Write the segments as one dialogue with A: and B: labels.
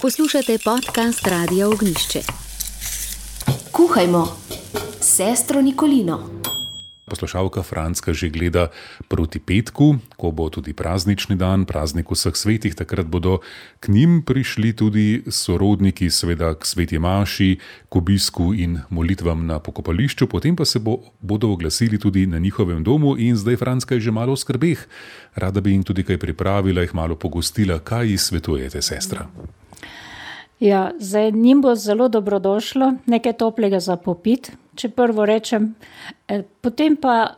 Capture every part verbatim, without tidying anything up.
A: Poslušate podcast Radia Ognjišče.
B: Kuhajmo s sestro Nikolino.
C: Poslušalka Franska že gleda proti petku, ko bo tudi praznični dan, praznik vseh svetih. Takrat bodo k njim prišli tudi sorodniki, seveda k sveti maši, k obisku in molitvam na pokopališču, potem pa se bo, bodo oglasili tudi na njihovem domu in zdaj Franska je že malo v skrbeh. Rada bi jim tudi kaj pripravila, jih malo pogostila. Kaj ji svetujete, sestra?
D: Ja, zdaj njim bo zelo dobrodošlo nekaj toplega za popit, če prvo rečem, eh, potem pa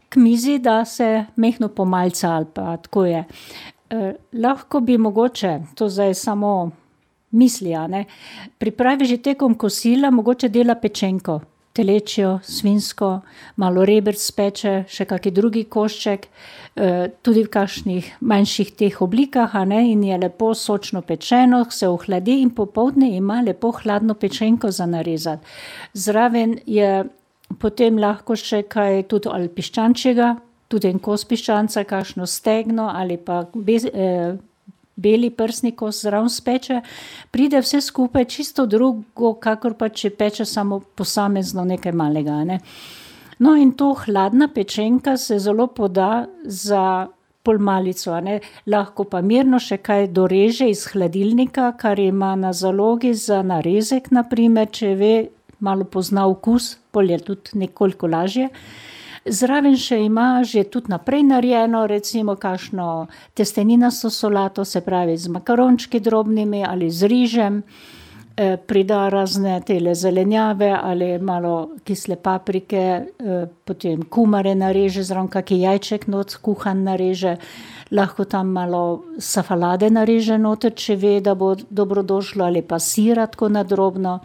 D: k mizi, da se mehno pomalca ali pa tako je. Eh, lahko bi mogoče, to zdaj samo misli, a ne, pripravi že tekom kosila, mogoče dela pečenko, telečjo, svinsko, malo rebrc speče, še kaki drugi košček, eh, tudi v kakšnih manjših teh oblikah, a ne, in je lepo sočno pečeno, se ohladi in popoldne ima lepo hladno pečenko za narezati. Zraven je potem lahko še kaj tudi ali piščančjega, tudi en kos piščanca, kakšno stegno ali pa bez, eh, beli prsni kos zraven speče, pride vse skupaj čisto drugo, kakor pa če peče samo posamezno nekaj malega, ne. No, in to hladna pečenka se zelo poda za polmalico, a ne. Lahko pa mirno še kaj doreže iz hladilnika, kar ima na zalogi za narezek, na primer, če ve, malo pozna okus, pol je tudi nekoliko lažje. Zraven še ima že tudi naprej narejeno, recimo kakšno testeninasto solato, se pravi z makarončki drobnimi ali z rižem, eh, prida razne tele zelenjave ali malo kisle paprike, eh, potem kumare nareže, zraven kaki jajček not kuhan nareže, lahko tam malo safalade nareže noter, če ve, da bo dobrodošlo, ali pa sira tako na drobno.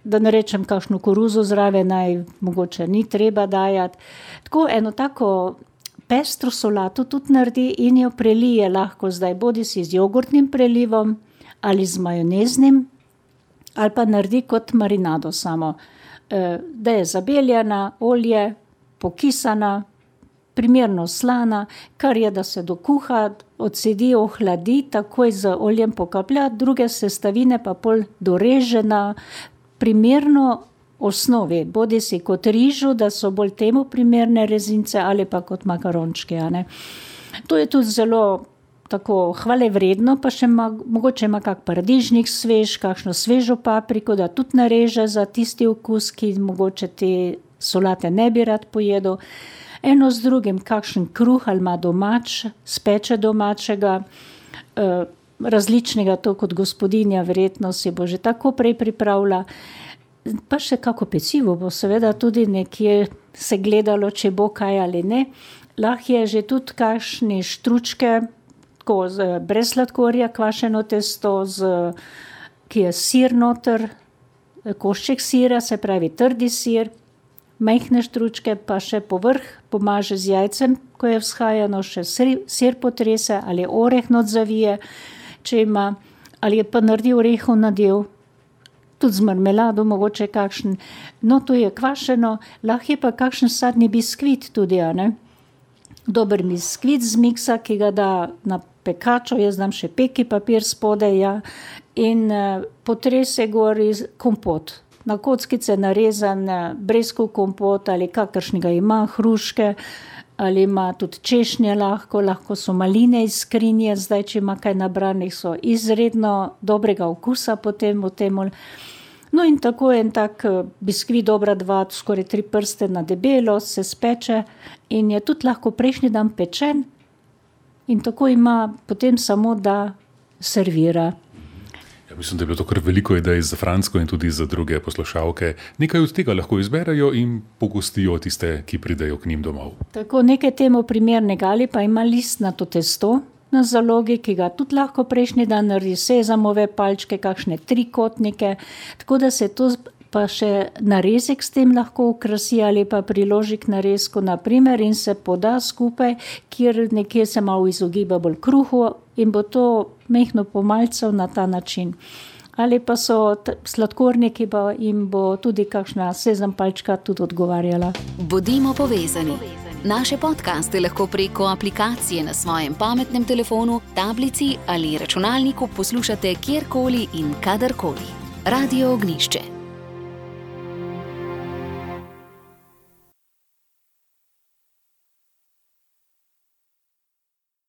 D: Da ne rečem, kakšno koruzo zraven naj mogoče ni treba dajati. Tako eno tako pestro solato tudi naredi in jo prelije lahko zdaj bodi si z jogurtnim prelivom ali z majoneznim, ali pa naredi kot marinado samo. E, da je zabeljena, olje, pokisana, primerno slana, kar je, da se dokuha, odsedi, ohladi, takoj z oljem pokaplja, druge sestavine pa pol doreže na primerno osnovi, bodi si kot rižu, da so bolj temu primerne rezince, ali pa kot makarončke, a ne. To je tudi zelo tako hvalevredno, pa še ma, mogoče ima kak paradižnik svež, kakšno svežo papriko, da tudi nareže za tisti okus, ki mogoče te solate ne bi rad pojedel. Eno z drugim, kakšen kruh ali ima domač, speče domačega, eh, različnega, to kot gospodinja verjetno si bo že tako prej pripravila. Pa še kako pecivo bo seveda tudi nekje se gledalo, če bo kaj ali ne. Lahko je že tudi kakšne štručke, tako z, brez sladkorja kvašeno testo, z, ki je sir noter, košček sira, se pravi trdi sir, majhne štručke, pa še povrh pomaže z jajcem, ko je vzhajano, še sir, sir potrese ali oreh not zavije, če ima, ali je pa naredi orehov nadev, tudi z marmelado, mogoče kakšen, no to je kvašeno, lahko je pa kakšen sadni biskvit tudi, a ne. Dober biskvit z miksa, ki ga da na pekačo, jaz dam še peki papir spodaj, ja, in eh, potrese gor iz kompot. Na kockice narezan eh, breskov kompot ali kakršnega ima, hruške, ali ima tudi češnje lahko, lahko so maline iz skrinje, zdaj, če ima kaj nabranih, so izredno dobrega okusa potem v temu. No in tako en tak biskvit, dobra dva, skoraj tri prste na debelo, se speče in je tudi lahko prejšnji dan pečen in tako ima potem samo, da servira.
C: Ja, mislim, da je bilo to kar veliko idej za Fransko in tudi za druge poslušalke. Nekaj od tega lahko izberejo in pogostijo tiste, ki pridejo k njim domov.
D: Tako nekaj temu primernega, ali pa ima listnato testo na zalogi, ki ga tudi lahko prejšnji dan naredi, sezamove palčke, kakšne trikotnike, tako da se to pa še narezek s tem lahko okrasi ali pa priloži k narezku, na primer, in se poda skupaj, kjer nekje se malo izogiba bolj kruhu in bo to mehno pomalcev na ta način. Ali pa so t- sladkorniki, pa jim bo tudi kakšna sezam palčka tudi odgovarjala.
A: Bodimo povezani. Naše podcaste lahko preko aplikacije na svojem pametnem telefonu, tablici ali računalniku poslušate kjerkoli in kadarkoli. Radio Ognišče.